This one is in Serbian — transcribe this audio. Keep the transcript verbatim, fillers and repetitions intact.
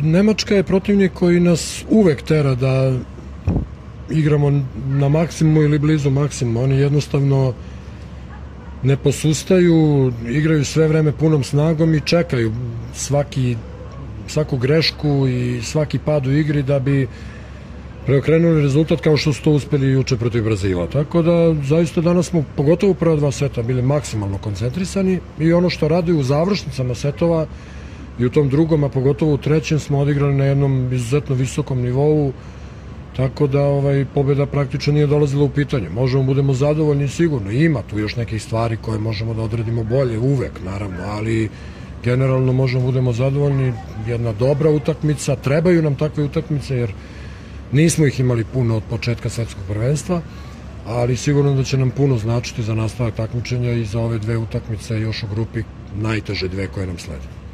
Nemačka je protivnik koji nas uvek tera da igramo na maksimumu ili blizu maksimuma. Oni jednostavno ne posustaju, igraju sve vreme punom snagom i čekaju svaki, svaku grešku i svaki pad u igri da bi preokrenuli rezultat kao što su to uspeli juče protiv Brazila. Tako da zaista danas smo, pogotovo u prva dva seta, bili maksimalno koncentrisani i ono što rade u završnicama setova i u tom drugom, a pogotovo u trećem, smo odigrali na jednom izuzetno visokom nivou, tako da ovaj, pobjeda praktično nije dolazila u pitanje. Možemo budemo zadovoljni sigurno, ima tu još nekih stvari koje možemo da odradimo bolje, uvek naravno, ali generalno možemo budemo zadovoljni, jedna dobra utakmica, trebaju nam takve utakmice jer nismo ih imali puno od početka svetskog prvenstva, ali sigurno da će nam puno značiti za nastavak takmičenja i za ove dve utakmice još u grupi, najteže dve koje nam slede.